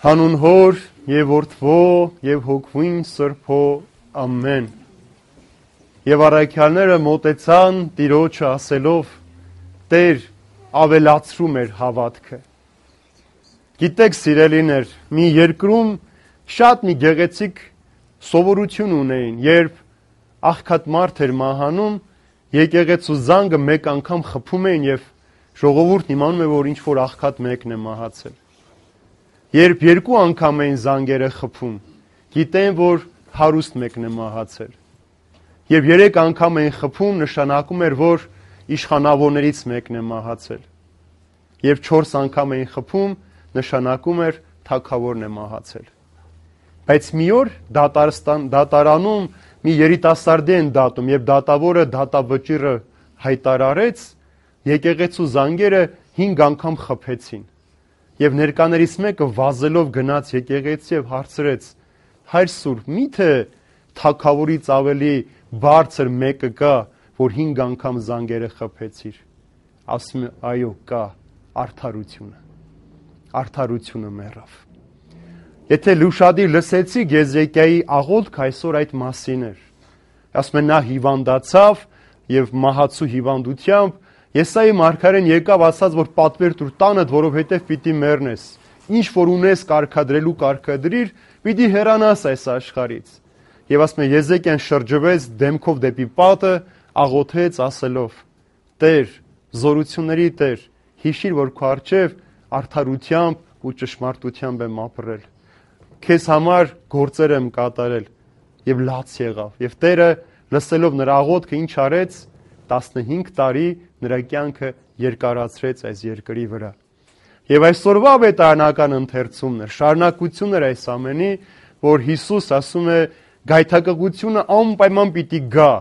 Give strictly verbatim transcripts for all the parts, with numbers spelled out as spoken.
Հանուն Հոր եւ Որդվո եւ Հոգվին Սրբո ամեն։ Եվ առաքյալները մոտեցան Տիրոջը ասելով. Տեր, ավելացրու մեր հավատքը։ Գիտեք, սիրելիներ, մի երկրում շատ մի գեղեցիկ սովորություն ունեին, երբ աղքատ մարդ էր մահանում, եկեղեցու զանգը մեկ անգամ խփում էին եւ ժողովուրդն իմանում է, որ ինչ որ աղքատ մեկն է մահացել։ Երբ երկու անգամ էին զանգերը խփում, գիտեն, որ հարուստ մեկն է մահացել։ Երբ երեք անգամ էին խփում, նշանակում էր, որ իշխանավորներից մեկն է մահացել։ Երբ չորս անգամ էին խփում, նշանակում էր թագավորն է մահացել։ Բայց մի օր դատարստան դատարանում մի երիտասարդի են դատում, եւ դատավորը դատավճիռը հայտարարեց, եկեղեցու զանգերը հինգ անգամ խփեցին։ Եվ ներկաներից մեկը վազելով գնաց եկեղեցի եւ հարցրեց. Հայր Սուրբ, միթե թագավորից ավելի բարձր մեկը կա, որ հինգ անգամ զանգերը խփեցիր։ Ասում է, այո, կա, արդարությունը։ Արդարությունը մեռավ։ Եթե լուշադիր լսեցիք Եզեկիայի աղոթքը, այսօր այդ մասին էր։ Ասում է, նա հիվանդացավ եւ մահացու հիվանդությամբ Եսայի մարգարեն եկավ ասաց, որ պատվեր տուր տանդ, որովհետև պիտի մեռնես։ Ինչ որ ունես կարգադրելու կարգադրիր, պիտի հեռանաս այս աշխարհից։ Եվ ասում է Եզեկիան շրջվեց դեմքով դեպի պատը, աղոթեց ասելով. Տեր, զորությունների Տեր, հիշիր, որ քո առջև արդարությամբ ու ճշմարտությամբ եմ ապրել։ Քեզ համար գործեր եմ կատարել եւ լաց եղավ։ Եվ Տերը լսելով նրա աղոթքը ինչ արեց, տասնհինգ տարի նրա կյանքը երկարացրեց այս երկրի վրա։ Եվ այսօրվա վետարանական ընթերցումն է, շարունակությունն է այս ամենի, որ Հիսուս ասում է գայթակղությունը անպայման պիտի գա,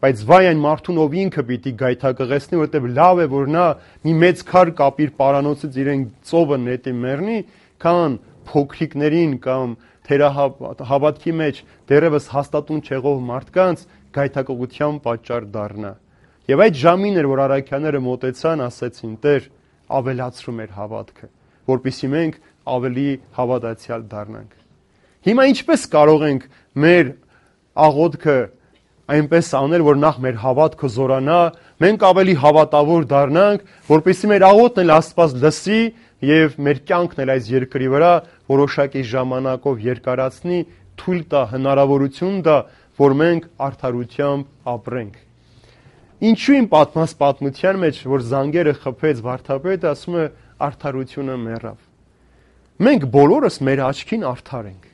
բայց վայ այն մարդուն, ով ինքը պիտի գայթակղեցնի, որովհետև լավ է, որ նա մի մեծ քար կապիր պարանոցից իրեն ծովը նետի մեռնի, քան փոքրիկներին կամ թերահավատքի մեջ դերևս հաստատուն չեղող մարդկանց գայթակղության պատճառ դառնա։ Եվ այդ ժամին էր, որ առաքյալները մոտեցան, ասեցին. Տեր, ավելացրու մեր հավատքը, որպեսզի մենք ավելի հավատացյալ դառնանք։ Հիմա ինչպես կարող ենք մեր աղոթքը այնպես անել, որ նախ մեր հավատքը զորանա, մենք ավելի հավատավոր դառնանք, որպեսզի մեր աղոթն էլ Աստված լսի եւ մեր կյանքն էլ այս երկրի վրա որոշակի ժամանակով երկարացնի, թույլ տա, հնարավորություն տա, որ մենք արդարությամբ ապրենք։ Ինչու իմ պատմած պատմության մեջ, որ զանգերը խփեց վարդապետը, ասում է արդարությունը մեռավ։ Մենք բոլորս մեր աչքին արդար ենք։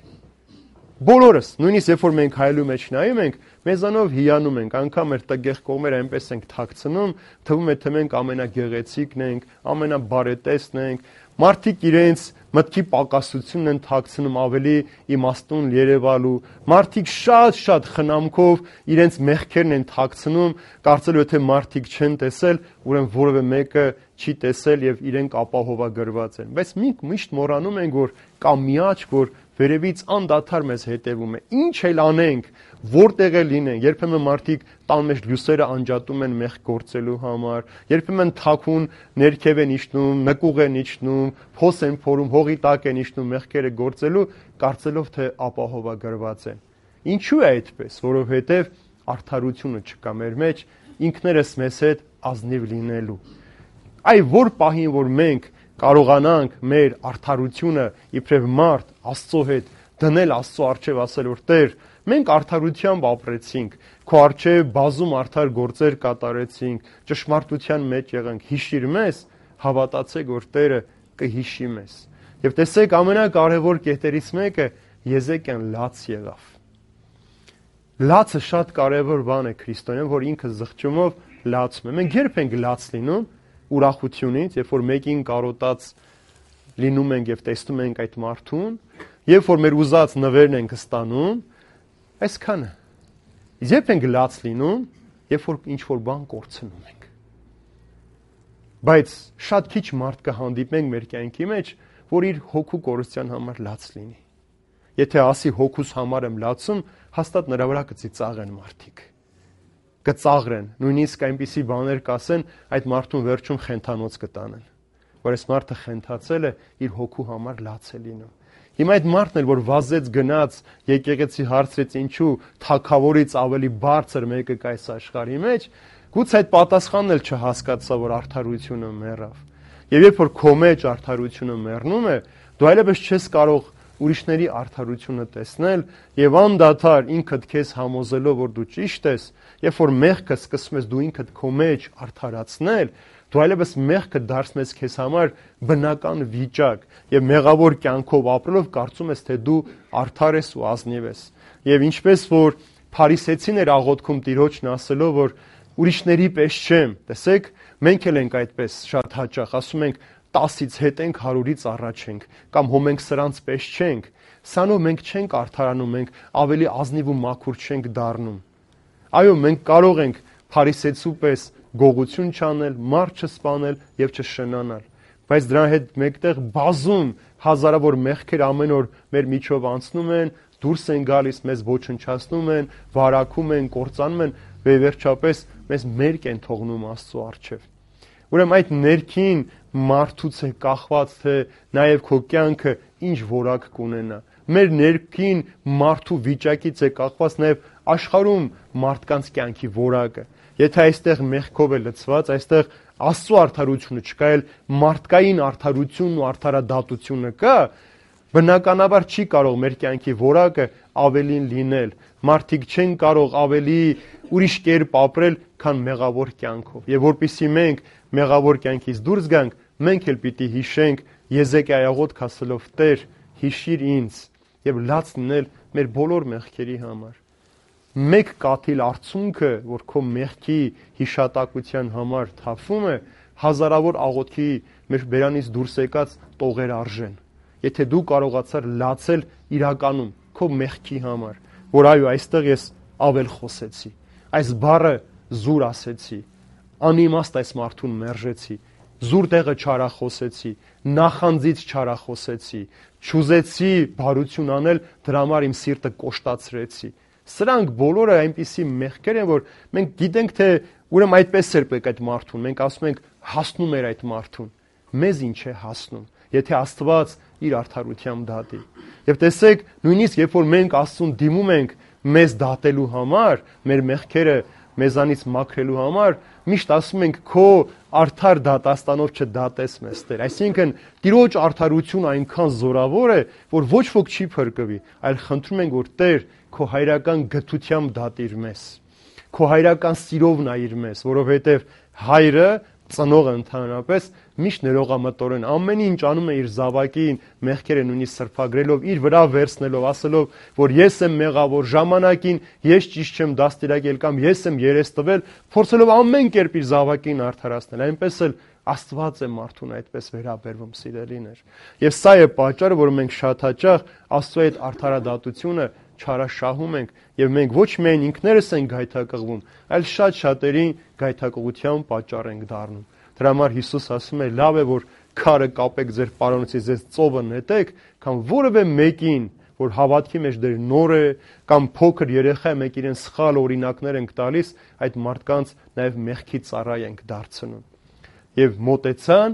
Բոլորս, նույնիսկ երբ որ մենք հայելու մեջ նայում ենք, մեզանով հիանում ենք, անգամ մեր տգեղ կողմերը այնպես ենք թաքցնում, թվում է թե մենք ամենագեղեցիկն ենք, ամենաբարետեսն ենք, մարդիկ իրենց մտքի պակասությունն են թաքցնում ավելի իմաստուն երևալու, մարդիկ շատ-շատ խնամքով իրենց մեղքերն են թաքցնում, կարծելով թե մարդիկ չեն տեսել, ուրեմն որևէ մեկը չի տեսել եւ իրենք ապահովագրված են։ Բայց մենք միշտ մոռանում ենք, որ կա մի աչք, որ վերևից անդադար մեզ հետևում է։ Ինչ էլ անենք, որտեղ էլ լինենք, երբեմն մարդիկ տան մեջ լույսերը անջատում են մեղք գործելու համար, երբեմն թաքուն ներքև են իջնում, նկուղ են իջնում, փոս են փորում, հողի տակ են իջնում մեղքերը գործելու, կարծելով թե ապահովագրված են։ Ինչու է այդպես? Որովհետև արդարությունը չկա մեր մեջ, ինքներս մեզ հետ ազնիվ լինելու։ Այ որ պահին, որ մենք կարողանանք մեր արդարությունը իբրև մարդ Աստծո հետ դնել Աստծո առջև, ասել որ Տեր, մենք արդարությամբ ապրեցինք, քո առջև բազում արդար գործեր կատարեցինք, ճշմարտության մեջ եղանք, հիշիր մեզ, հավատացեք, որ Տերը կհիշի մեզ։ Եվ տեսեք, ամենակարևոր կետերից մեկը Եզեկիան լաց եղավ։ Լացը շատ կարևոր բան է քրիստոնեում, որ ինքը զղջումով լացում է։ Մենք երբ ենք լաց լինում ուրախությունից, երբ որ մեկին կարոտած լինում ենք եւ տեսնում ենք այդ մարդուն, երբ որ մեր ուզած նվերն ենք ստանում, այսքանը։ Երբ ենք լաց լինում, երբ որ ինչ որ բան կորցնում ենք։ Բայց շատ քիչ մարդ կհանդիպենք մեր կյանքի մեջ, որ իր հոգու կորստյան համար լաց լինի։ Եթե ասի հոգուս համար եմ լացում, հաստատ նրա վրա կծիծաղեն մարդիկ։ Կծաղրեն, նույնիսկ այնպիսի բաներ կասեն, այդ մարդուն վերջում խենթանոց կտանեն, որ այս մարդը խենթացել է իր հոգու համար լաց է լինում։ Հիմա այդ մարդն էլ, որ վազեց գնաց, եկեղեցի հարցրեց ինչու թագավորից ավելի բարձր մեկը կա այս աշխարհի մեջ, գուցե այդ պատասխանն էլ չհասկացա, որ արդարությունը մեռավ։ Եվ երբ որ քո մեջ արդարությունը մեռնում է, դու այլևս չես կարող ուրիշների արդարությունը տեսնել եւ անդադար ինքդ քեզ համոզելով, որ դու ճիշտ ես, երբ որ մեղքը սկսում ես դու ինքդ քո մեջ արդարացնել, դու այլևս մեղքը դարձնում ես քեզ համար բնական վիճակ եւ մեղավոր կյանքով ապրելով կարծում ես, թե դու արդար ես ու ազնիվ ես։ Եվ ինչպես որ փարիսեցին էր աղոթքում Տիրոջն ասելով, որ ուրիշների պես չեմ, տեսեք, մենք էլ ենք այդպես շատ հաճախ ասում ենք տասից հետ ենք, հարյուրից առաջ ենք, կամ հո մենք սրանց պես չենք, սանով մենք չենք արդարանում, մենք ավելի ազնիվ ու մաքուր չենք դառնում։ Այո, մենք կարող ենք փարիսեցու պես գողություն չանել, մարդ չսպանել եւ չշնանալ, բայց դրա հետ մեկտեղ բազում հազարավոր մեղքեր ամեն օր մեր միջով անցնում են, դուրս են գալիս, մեզ ոչնչացնում են, վարակում են, կործանում են, վերջապես մեզ մերկ են թողնում Աստծո առջև։ Ուրեմն այդ ներքին մարդուց է կախված, թե նաև քո կյանքը ինչ որակ կունենա։ Մեր ներքին մարդու վիճակից է կախված նաև աշխարհում մարդկանց կյանքի որակը։ Եթե այստեղ մեղքով է լցված, այստեղ Աստծո արդարությունը չկա, այլ մարդկային արդարությունն ու արդարադատությունը կա, բնականաբար չի կարող մեր կյանքի որակը ավելին լինել։ Մարդիկ չեն կարող ավելի ուրիշ կերպ ապրել, քան մեղավոր կյանքով։ Եվ որպեսզի մենք մեղավոր կյանքից դուրս գանք, մենք էլ պիտի հիշենք Եզեկիայի աղոթք ասելով. Տեր, հիշիր ինձ եւ լաց լինել մեր բոլոր մեղքերի համար։ Մեկ կաթիլ արցունքը, որ քո մեղքի հիշատակության համար թափվում է, հազարավոր աղոթքի մեր բերանից դուրս եկած տողեր արժեն։ Եթե դու կարողացար լացել իրականում քո մեղքի համար, որ այո, այստեղ ես ավել խոսեցի, այս բառը զուր ասեցի, անիմաստ այս մարդուն մերժեցի, զուր տեղը չարախոսեցի, նախանձից չարախոսեցի, չուզեցի բարություն անել, դրա համար իմ սիրտը կոշտացրեցի։ Սրանք բոլորը այնպիսի մեղքեր են, որ մենք գիտենք, թե ուրեմն այդպես էր պետք այդ մարդուն, մենք ասում ենք հասնում էր այդ մարդուն, մեզ ինչ է հասնում, եթե Աստված իր արդարությամբ դատի։ Եվ տեսեք, նույնիսկ երբ որ մենք Աստծուն դիմում ենք մեզ դատելու համար, մեր մեղքերը մեզանից մաքրելու համար, միշտ ասում ենք քո արդար դատաստանով չդատես մեզ Տեր։ Այսինքն Տիրոջ արդարությունը այնքան զորավոր է, որ ոչ ոք չի փրկվի, այլ խնդրում ենք, որ Տեր քո հայրական գթությամբ դատիր մեզ, քո հայրական սիրով նայիր մեզ, որովհետև հայրը ծնողը ընդհանրապես միշտ ներողամտորեն ամեն ինչ անում է իր զավակին մեղքերը նույնիսկ սրբագրելով, իր վրա վերցնելով, ասելով, որ ես եմ մեղավոր, ժամանակին ես ճիշտ չեմ դաստիարակել կամ ես եմ երես տվել, փորձելով ամեն կերպ իր զավակին արդարացնել, այնպես էլ Աստված է մարդուն այդպես վերաբերվում, սիրելիներ։ Եվ սա է պատճառը, որ մենք շատ հաճախ Աստծո այդ արդարադատությունը չարաշահում ենք եւ մենք ոչ միայն ինքներս ենք գայթակղվում, այլ շատ շատերին գայթակղության պատճառ ենք դառնում։ Դրա համար Հիսուս ասում է. լավ է, որ քարը կապեք ձեր պարոնոցից, ձեզ ծովը նետեք, կամ որևէ մեկին, որ հավատքի մեջ դեր նոր է, կամ փոքր երեխա է, մենք իրեն սխալ օրինակներ ենք տալիս, այդ մարդկանց նաեւ մեղքի ծառայ ենք դարձնում։ Եվ մոտեցան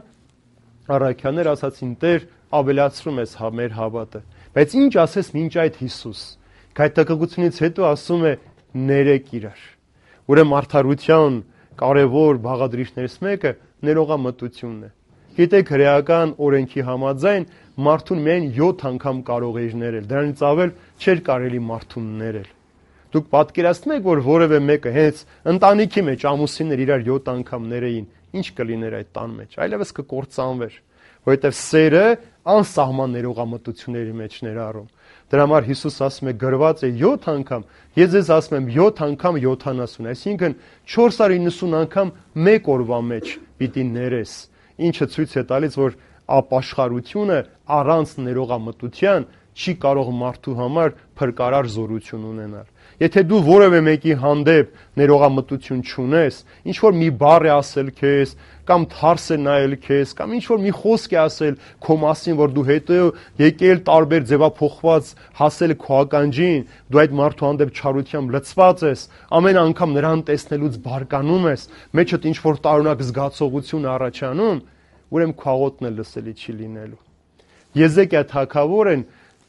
առաքյաններ, ասացին. Տեր, ավելացրում ես մեր հավատը։ Բայց ինչ ասես մինչ այդ Հիսուս։ Գայթակղությունից հետո ասում է. ներեք իրար։ Ուրեմն արդարության կարևոր բաղադրիչներից մեկը ներողամտությունն է։ Գիտեք, հրեական օրենքի համաձայն մարդուն միայն յոթ անգամ կարող էր ներել, դրանից ավել չէր կարելի մարդուն ներել։ Դուք պատկերացնում եք, որ որևէ մեկը հենց ընտանիքի մեջ ամուսիններ իրար յոթ անգամ ներեին, ինչ կլիներ այդ տան մեջ, այլևս կկործանվեր, որովհետև սերը անսահման ներողամտությունների մեջ ներառում։ Դրա համար Հիսուս ասում է գրված է յոթ անգամ, ես ձեզ ասում եմ յոթ անգամ յոթանասուն, այսինքն չորս հարյուր նվսուն անգամ մեկ օրվա մեջ պիտի ներես, ինչը ցույց է տալիս, որ ապաշխարությունը առանց ներողամտության չի կարող մարդու համար փրկարար զորություն ունենալ։ Եթե դու որևէ մեկի հանդեպ ներողամտություն չունես, ինչ որ մի բառ է ասել քեզ, կամ թարս է նայել քեզ, կամ ինչ որ մի խոսք է ասել քո մասին, որ դու հետո եկել տարբեր ձևափոխված հասել քո ականջին, դու այդ մարդու հանդեպ չարությամբ լցված ես, ամեն անգամ նրան տեսնելուց բարկանում ես, մեջդ ինչ որ տարօրինակ զգացողություն առաջանում, ուրեմն քո աղոթքն էլ լսելի չի լինելու։ Եզեկիա թագավորն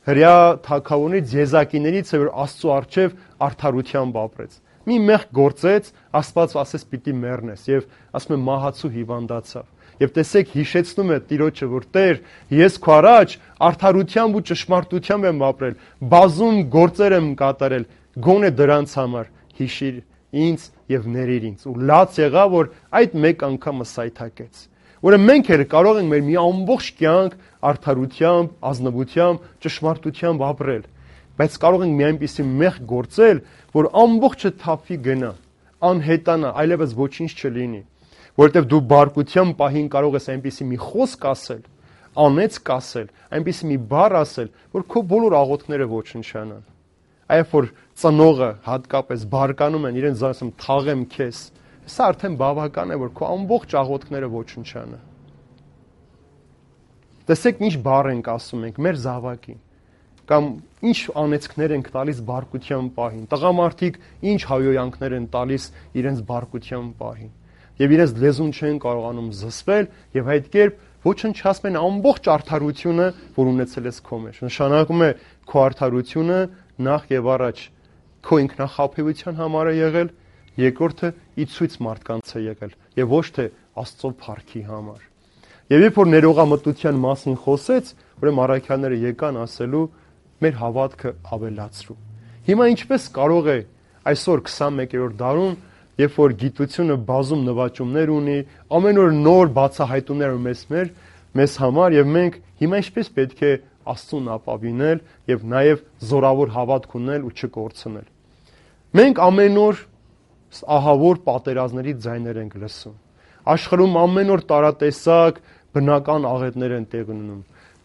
հրյա թագավորներից, եզակիներից է, որ Աստծո առջև արդարությամբ ապրեց։ Մի մեղք գործեց, Աստված ասեց պիտի մեռնես, եւ ասում է մահացու հիվանդացավ։ Եվ տեսեք, հիշեցնում է Տիրոջը, որ Տեր, ես քո առաջ արդարությամբ ու ճշմարտությամբ եմ ապրել, բազում գործեր եմ կատարել, գոնե դրանց համար հիշիր ինձ եւ ներիր ինձ։ Ու լաց եղավ, որ այդ մեկ անգամը սայթակեց։ Ուրեմն մենք էլ կարող ենք մեր մի ամբողջ կյանք արդարությամբ, ազնվությամբ, ճշմարտությամբ ապրել, բայց կարող ենք մի այնպիսի մեղք գործել, որ ամբողջը թափի գնա, անհետանա, այլևս ոչինչ չլինի, որովհետև դու բարկության պահին կարող ես այնպիսի մի խոսք ասել, անեծք ասել, այնպիսի մի բառ ասել, որ քո բոլոր աղոթքները ոչնչանան։ Այո, որ ծնողը հատկապես բարկանում են, իրենց ասում թաղեմ քեզ, սա արդեն բավական է, որ քո ամբողջ աղոթքները ոչնչանան։ Տեսեք, ինչ բառ ենք ասում ենք մեր զավակին, կամ ինչ անեծքներ ենք տալիս բարկության պահին, տղամարդիկ ինչ հայոյանքներ են տալիս իրենց բարկության պահին, եւ իրենց լեզուն չեն կարողանում զսպել եւ այդ կերպ ոչնչացնում են ամբողջ արդարությունը, որ ունեցել ես քո մեջ։ Նշանակում է քո արդարությունը նախ եւ առաջ քո ինքնախաբեության համար է եղել, երկրորդը ի ցույց մարդկանց է եղել եւ ոչ թե Աստծո փառքի համար։ Եվ երբ որ ներողամտության մասին խոսեց, ուրեմն առաքյալները եկան ասելու մեր հավատքը ավելացրու։ Հիմա ինչպես կարող է այսօր քսանմեկերորդ դարում, երբ որ գիտությունը բազում նվաճումներ ունի, ամեն օր նոր բացահայտումներ ու մեզ մեր մեզ համար եւ մենք հիմա ինչպես պետք է Աստծուն ապավինել եւ նաեւ զորավոր հավատք ունել ու չկորցնել։ Մենք ամեն օր ահավոր պատերազմների ձայներ ենք լսում։ Աշխարհում ամեն օր տարատեսակ բնական աղետներ են տեղի ունենում,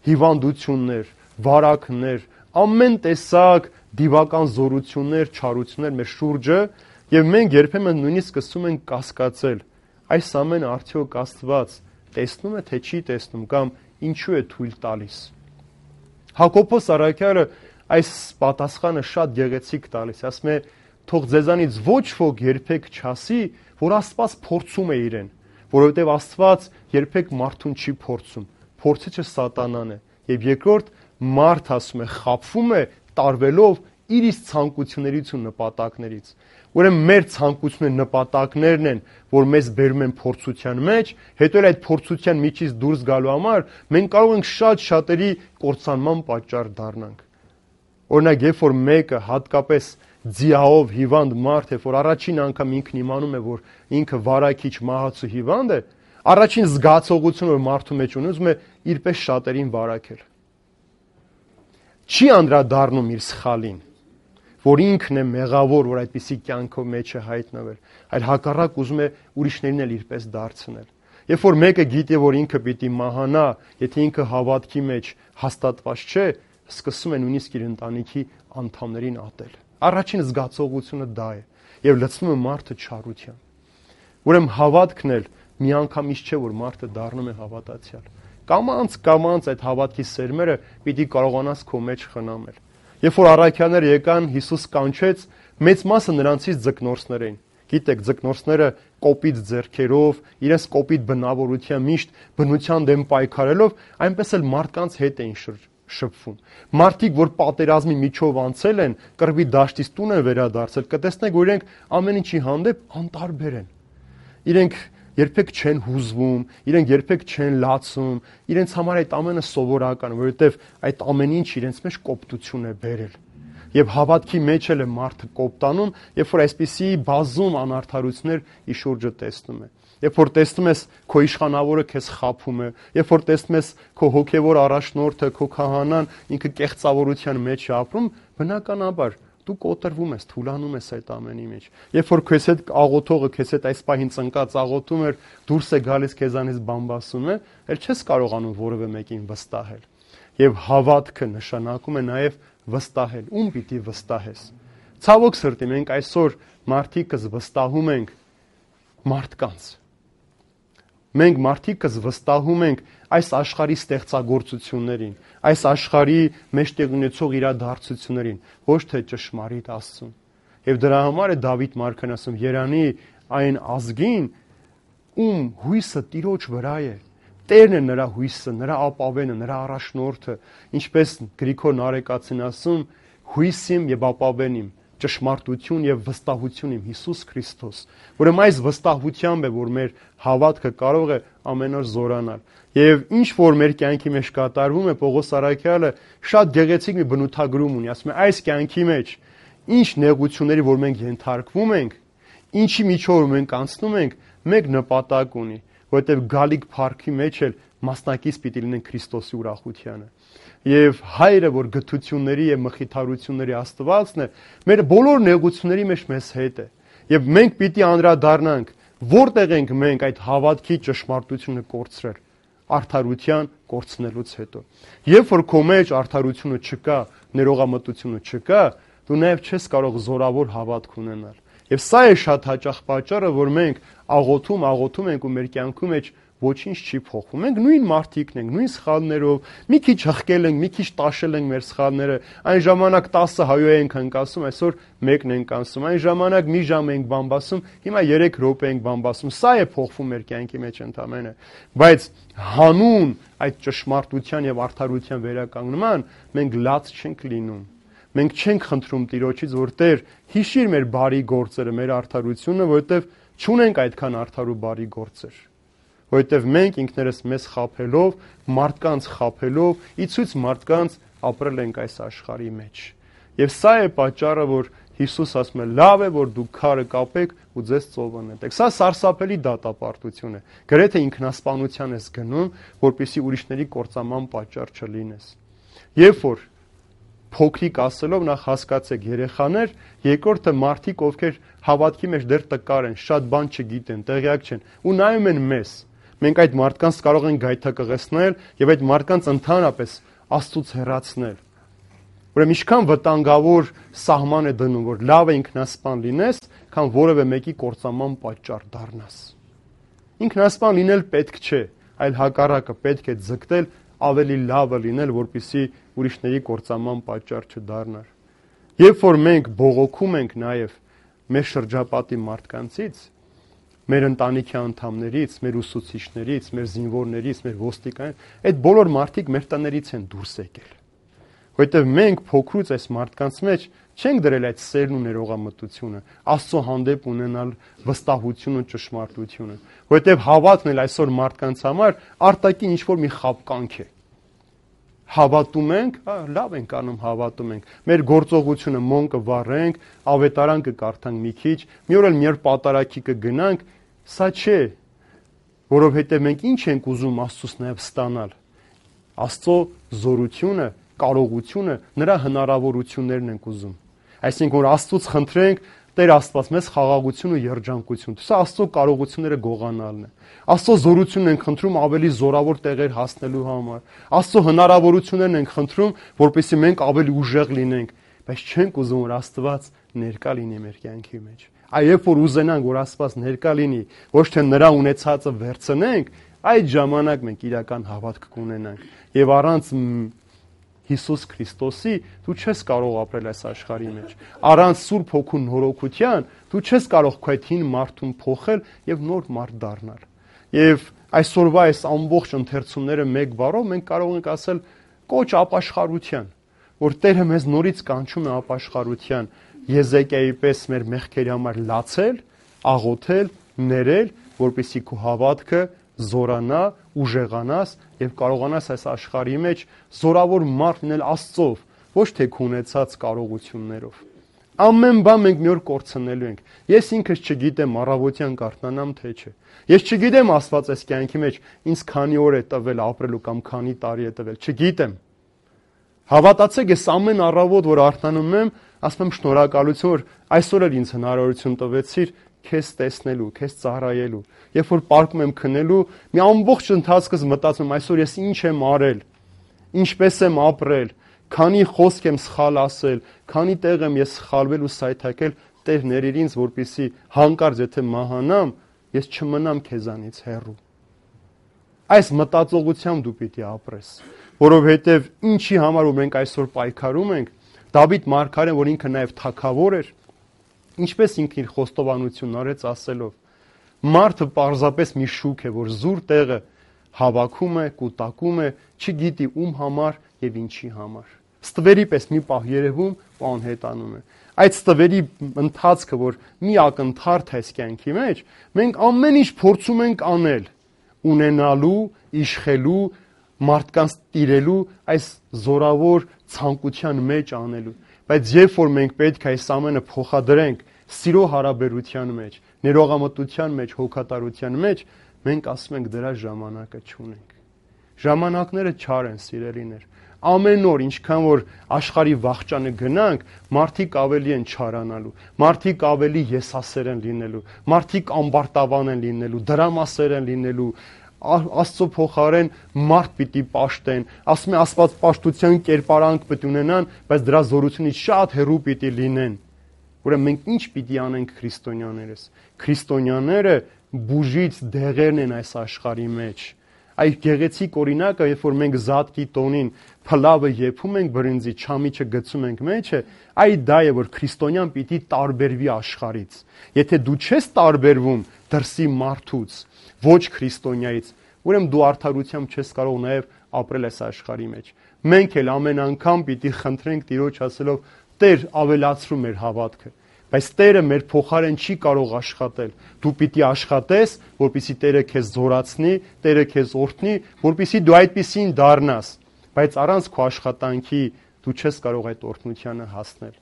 հիվանդություններ, վարակներ, ամեն տեսակ դիվական զորություններ, չարություններ մեր շուրջը, եւ մենք երբեմն նույնիսկ սկսում ենք կասկածել, այս ամենը արդյոք Աստված տեսնում է, թե չի տեսնում, կամ ինչու է թույլ տալիս։ Հակոբոս առաքյալը այս պատասխանը շատ գեղեցիկ տալիս, ասում է, թող ձեզանից ոչ ոք երբեք չասի, որ Աստված փորձում է իրեն, որովհետև Աստված երբեք մարդուն չի փորձում, փորձիչը սատանան է, եւ երկրորդ մարդ ասում է, խաբվում է տարվելով իր իսկ ցանկություններից ու նպատակներից։ Ուրեմն մեր ցանկությունները, նպատակներն են, որ մեզ բերում են փորձության մեջ, հետո էլ այդ փորձության միջից դուրս գալու համար մենք կարող ենք շատ շատերի կործանման պատճառ դառնանք։ Օրինակ, երբ որ մեկը հատկապես ձիահով հիվանդ մարդ է, որ առաջին անգամ ինքն իմանում է, որ ինքը վարակիչ, մահացու հիվանդ է, առաջին զգացողությունը, որ մարդու մեջ ունի, ուզում է իրպես շատերին վարակել։ Չի անդրադառնում իր սխալին, որ ինքն է մեղավոր, որ այդպիսի կյանքով մեջ է հայտնվել, այլ հակառակ ուզում է ուրիշներին էլ իրպես դարձնել։ Երբ որ մեկը գիտի, որ ինքը պիտի մահանա, եթե ինքը հավատքի մեջ հաստատված չէ, սկսում է նույնիսկ իր ընտանիքի անդամներին ատել։ Առաջին զգացողությունը դա է, եւ լցնում է մարդը չարությամբ։ Ուրեմն հավատքն էլ միանգամից չէ, որ մարդը դառնում է հավատացյալ։ Կամանց կամանց այդ հավատքի սերմերը պիտի կարողանաս քո մեջ խնամել։ Երբ որ առաքյալները եկան, Հիսուս կանչեց, մեծ մասը նրանցից ձկնորսներ էին։ Գիտեք, ձկնորսները կոպիտ ձեռքերով, իրենց կոպիտ բնավորության միշտ բնության դեմ պայքարելով, այնպես էլ մարդկանց հետ էին շփվում։ Մարդիկ, որ պատերազմի միջով անցել են, կռվի դաշտից տուն են վերադարձել, կտեսնեք, որ իրենք ամեն ինչի հանդեպ անտարբեր են։ Իրենք երբեք չեն հուզվում, իրենք երբեք չեն լացում, իրենց համար այդ ամենը սովորական, որովհետև այդ ամեն ինչ իրենց մեջ կոպտություն է բերել։ Եվ հավատքի մեջ էլ է մարդը կոպտանում, երբ որ այսպիսի բազում անարդարություններ ի շուրջը տեսնում է։ Երբ որ տեսնում ես քո իշխանավորը քեզ խաբում է, երբ որ տեսնում ես քո հոգևոր առաջնորդը, քո քահանան ինքը կեղծավորության մեջ է ապրում, բնականաբար դու կոտրվում ես, թուլանում ես այդ ամենի մեջ։ Երբ որ քեզ հետ աղոթողը քեզ հետ այս պահին ծնկած աղոթում էր, դուրս է գալիս քեզանից բամբասում է, ել չես կարողանում որևէ մեկին վստահել։ Եվ հավատքը նշանակում է նաև վստահել։ Ում պիտի վստահես։ Ցավոք սրտի, մենք այսօր մարդիկս վստահում ենք մարդկանց։ Մենք մարդիկս վստահում ենք այս աշխարհի ստեղծագործություններին, այս աշխարհի մեջտեղ ունեցող իրադարձություններին, ոչ թե ճշմարիտ Աստծուն։ Եվ դրա համար է Դավիթ մարգարեն ասում. «Երանի այն ազգին, ում հույսը Տիրոջ վրա է, Տերն է նրա հույսը, նրա ապավենը, նրա առաջնորդը, ինչպես Գրիգոր Նարեկացին ասում, հույսիմ եւ ապավենիմ, ճշմարտություն եւ վստահություն իմ Հիսուս Քրիստոս, ուրեմն այս վստահությամբ է, որ մեր հավատքը կարող է ամեն օր զորանալ։ Եվ ինչ որ մեր կյանքի մեջ կատարվում է, Պողոս Առաքյալը շատ գեղեցիկ մի բնութագրում ունի, ասում է այս կյանքի մեջ ինչ նեղությունների որ մենք ենթարկվում ենք, ինչի միջով մենք անցնում ենք, մեկ նպատակ ունի, որովհետեւ գալիք փառքի մեջ էլ մասնակից պիտի լինենք Քրիստոսի ուրախությանը։ Եվ հայրը, որ գթությունների եւ մխիթարությունների Աստվածն է, մեր բոլոր նեղությունների մեջ մեզ հետ է։ Եվ մենք պիտի անդրադառնանք, որտեղ ենք մենք այդ հավատքի ճշմարտությունը կորցրել, արդարության կորցնելուց հետո։ Երբ որ քո մեջ արդարությունը չկա, ներողամտությունը չկա, դու նաեւ չես կարող զորավոր հավատք ունենալ։ Եվ սա է շատ հաճախ պատճառը, որ մենք աղոթում, աղոթում ենք ու մեր կյանքում մեջ ոչինչ չի փոխվում։ Մենք նույն մարդիկն ենք, նույն սխալներով, մի քիչ հղկել ենք, մի քիչ տաշել ենք մեր սխալները։ Այն ժամանակ տասը հայո ենք հնկասում, այսօր մեկն ենք ասում։ Այն ժամանակ մի ժամ ենք բամբասում, հիմա երեք րոպե ենք բամբասում։ Սա է փոխվում մեր կյանքի մեջ ընդամենը։ Բայց հանուն այդ ճշմարտության եւ արդարության վերականգնման մենք լաց չենք լինում։ Մենք չենք խնդրում Տիրոջից, որ Տեր հիշիր մեր բարի գործերը, մեր արդարությունը, որովհետեւ չունենք այդքան արդար ու բարի գործեր։ Որովհետև մենք ինքներս մեզ խաբելով, մարդկանց խաբելով, ի ցույց մարդկանց ապրել ենք այս աշխարհի մեջ։ Եվ սա է պատճառը, որ Հիսուս ասում է. լավ է, որ դուք քարը կապեք ու ձեզ ծովը նետեք։ Սա սարսափելի դատապարտություն է։ Գրեթե ինքնասպանության ես գնում, որպեսզի ուրիշների կործանման պատճառ չլինես։ Երբ որ փոքրիկ ասելով նախ հասկացեք երեխաներ, երկրորդը մարդիկ, ովքեր հավատքի մեջ դեռ տկար են, շատ բան չգիտեն, տեղյակ չեն ու նայում են մեզ։ Մենք այդ մարդկանց կարող ենք գայթակղեցնել եւ այդ մարդկանց ընդհանրապես Աստծուց հեռացնել։ Ուրեմն ինչքան վտանգավոր սահման է դնում, որ լավ է ինքնասպան լինես, քան որևէ մեկի կործանման պատճառ դառնաս։ Ինքնասպան լինել պետք չէ, այլ հակառակը պետք է ձգտել ավելի լավը լինել, որպեսզի ուրիշների կործանման պատճառ չդառնար։ Երբ որ մենք բողոքում ենք նաեւ մեր շրջապատի մարդկանցից, մեր ընտանիքի անդամներից, մեր ուսուցիչներից, մեր զինվորներից, մեր ոստիկաններից, այդ բոլոր մարդիկ մեր տներից են դուրս եկել։ Որովհետև մենք փոքրուց այս մարդկանց մեջ չենք դրել այդ սերն ու ներողամտությունը, Աստծո հանդեպ ունենալ վստահություն ու ճշմարտությունը, որովհետև հավատն էլ այսօր մարդկանց համար արտաքին ինչ-որ մի խաբկանք է։ Հավատում ենք, լավ ենք անում, հավատում ենք։ Մեր գործողությունը մոն կվառենք, ավետարան կկարդանք մի քիչ, մի օր էլ մի օր պատարագի կգնանք, սա չէ, որովհետև մենք ինչ ենք ուզում Աստծուց նաև ստանալ։ Աստծո զորությունը, կարողությունը, նրա հնարավորություններն ենք ուզում։ Այսինքն որ Աստծուց խնդրենք, Տեր Աստված մեզ խաղաղություն ու երջանկություն։ Սա Աստծո կարողությունները գողանալն է։ Աստծո զորությունն ենք խնդրում ավելի զորավոր տեղեր հասնելու համար։ Աստծո հնարավորություններն ենք խնդրում, որպեսզի մենք ավելի ուժեղ լինենք, բայց չենք ուզում որ Աստված ներկա լինի մեր կյանքի մեջ։ Այ երբ որ ուզենանք որ Աստված ներկա լինի, ոչ թե նրա ունեցածը վերցնենք, այդ ժամանակ մենք իրական հավատք կունենանք։ Եվ առանց Հիսուս Քրիստոսի դու չես կարող ապրել այս աշխարհի մեջ։ Առանց Սուրբ Հոգու նորոգության դու չես կարող քո այդ հին մարդուն փոխել եւ նոր մարդ դառնալ։ Եվ այսօրվա այս ամբողջ ընթերցումները մեկ բառով մենք կարող ենք ասել կոչ ապաշխարության, որ Տերը մեզ նորից կանչում է ապաշխարության, Եզեկիայի պես մեր մեղքերի համար լացել, աղոթել, ներել, որպեսզի քո հավատքը զորանա, ուժեղանաս եւ կարողանաս այս աշխարհի մեջ զորավոր մարդ լինել Աստծով, ոչ թե քո ունեցած կարողություններով։ Ամեն բան մենք մի օր կորցնելու ենք։ Ես ինքս չգիտեմ առավոտյան կարթնանամ թե չէ։ Ես չգիտեմ Աստված այս կյանքի մեջ ինձ քանի օր է տվել ապրելու կամ քանի տարի է տվել, չգիտեմ։ Հավատացեք, ես ամեն առավոտ որ արթնանում եմ, ասում եմ շնորհակալություն, որ այսօր էլ ինձ հնարավորություն տվեցիր քեզ տեսնելու, քեզ ծառայելու։ Երբ որ պարկում եմ քնելու, մի ամբողջ ընթացքս մտածում եմ այսօր ես ինչ եմ արել, ինչպես եմ ապրել, քանի խոսք եմ սխալ ասել, քանի տեղ եմ ես սխալվել ու սայթակել, Տեր ներիր ինձ, որպեսզի հանկարծ եթե մահանամ, ես չմնամ քեզանից հեռու։ Այս մտածողությամբ դու պիտի ապրես, որովհետև ինչի համար որ մենք այսօր պայքարում ենք, Դավիթ մարգարեն, որ ինքը նաև թագավոր էր, ինչպես ինքն իր խոստովանությունն արեց ասելով. մարդը պարզապես մի շուք է, որ զուր տեղը հավաքում է, կուտակում է, չգիտի ում համար եւ ինչի համար։ Ստվերի պես մի պահ երևում ու անհետանում է։ Այդ ստվերի ընթացքը, որ մի ակնթարթ է կյանքի մեջ, մենք ամեն ինչ փորձում ենք անել, ունենալու, իշխելու, մարդկանց տիրելու այս զորավոր ցանկության մեջ անելու։ Բայց երբ որ մենք պետք է այս ամենը փոխադրենք սիրո հարաբերության մեջ, ներողամտության մեջ, հոգատարության մեջ, մենք ասում ենք դրա ժամանակը չունենք։ Ժամանակները չար են, սիրելիներ։ Ամեն օր, ինչքան որ աշխարհի վախճանը գնանք, մարդիկ ավելի են չարանալու, մարդիկ ավելի եսասեր են լինելու, մարդիկ ամբարտավան են լինելու, դրամասեր են լինելու, Աստծո փոխարեն մարդ պիտի պաշտեն, ասում է Աստված պաշտության կերպարանք պիտի ունենան, բայց դրա զորությունից շատ հեռու պիտի լինեն։ Ուրեմն մենք ինչ պիտի անենք քրիստոնյաներս։ Քրիստոնյաները բուժից դեղերն են այս աշխարհի մեջ։ Այդ գեղեցիկ օրինակը, երբ որ մենք զատկի տոնին փլավը եփում ենք բրինձի, չամիչը գցում ենք մեջը, այդ դա է, որ քրիստոնյան պիտի տարբերվի աշխարհից։ Եթե դու չես տարբերվում դրսի մարդուց, ոչ քրիստոնյայից, ուրեմն դու արդարությամբ չես կարող նաև ապրել այս աշխարհի մեջ։ Մենք էլ ամեն անգամ պիտի խնդրենք Տիրոջ ասելով. Տեր, ավելացրու մեր հավատքը։ Բայց Տերը մեր փոխարեն չի կարող աշխատել։ Դու պիտի աշխատես, որպեսզի Տերը քեզ զորացնի, Տերը քեզ օրհնի, որպեսզի դու այդպեսին դառնաս։ Բայց առանց քո աշխատանքի դու չես կարող այդ օրհնությանը հասնել։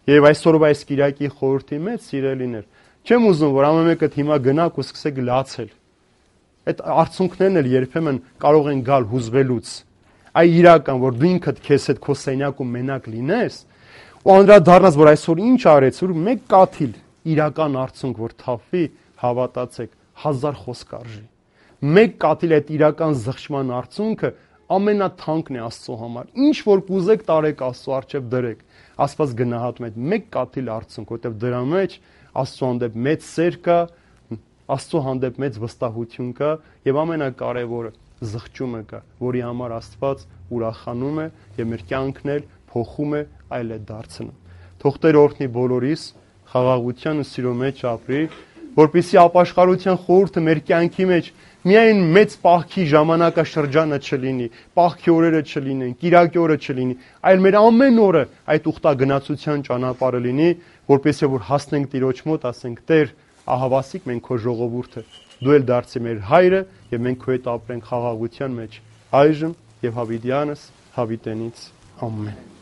Եվ այսօրվա այս Կիրակի խորհրդի մեջ, սիրելիներ, չեմ ուզում, որ ամեն մեկը հիմա գնաք ու սկսեք լացել։ Այդ արցունքներն էլ երբեմն կարող են գալ հուզվելուց։ Այ իրական, որ դու ինքդ քեզ հետ քո սենյակում մենակ լինես, ու անդրադառնաս, որ այսօր ինչ արեց, որ մեկ կաթիլ իրական արցունք, որ թափվի, հավատացեք, հազար խոսք արժի։ Մեկ կաթիլ այդ իրական զղջման արցունքը ամենաթանկն է Աստծո համար։ Ինչ որ կուզեք տարեք Աստծո առջև դրեք։ Աստված գնահատում է մեկ կաթիլ արցունք, որտեղ դրա մեջ Աստծո հանդեպ մեծ սեր կա, Աստծո հանդեպ մեծ վստահություն կա եւ ամենակարևորը զղջումը կա, որի համար Աստված ուրախանում է եւ մեր կյանքն էլ փոխում է, այլ է դարձնում։ Թող Տեր օրհնի բոլորիս, խաղաղության ու սիրո մեջ ապրի, որպեսզի ապաշխարության խորհուրդը մեր կյանքի մեջ միայն մեծ պահքի ժամանակաշրջանը չլինի, պահքի օրերը չլինեն, կիրակի օրը չլինի, այլ մեր ամեն օրը այդ ուխտագնացության ճանապարհը լինի, որպեսզի որ հասնենք Տիրոջ մոտ, ասենք. Տեր, ահավասիկ մենք քո ժողովուրդը, դու էլ դարձի մեր հայրը եւ մենք քո հետ ապրենք խաղաղության մեջ, այժմ եւ հավիտյանս հավիտենից։ Ամեն։